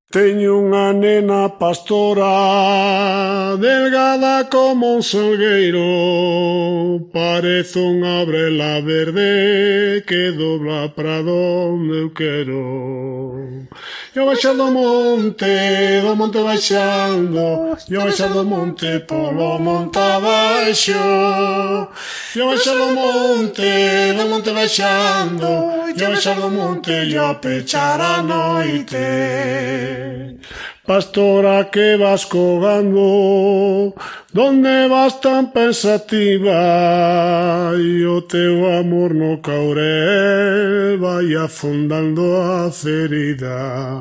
Teño unha nena pastora, delgada como un salgueiro, parece unha brela verde que dobla pra donde eu quero. Eu baixo do monte baixando, eu baixo do monte polo monte abaixo. Eu baixo do monte baixando, eu baixo do monte e ao pechar a noite. Pastora que vas colgando, donde vas tan pensativa, e o teu amor no caurel vai afondando a ferida.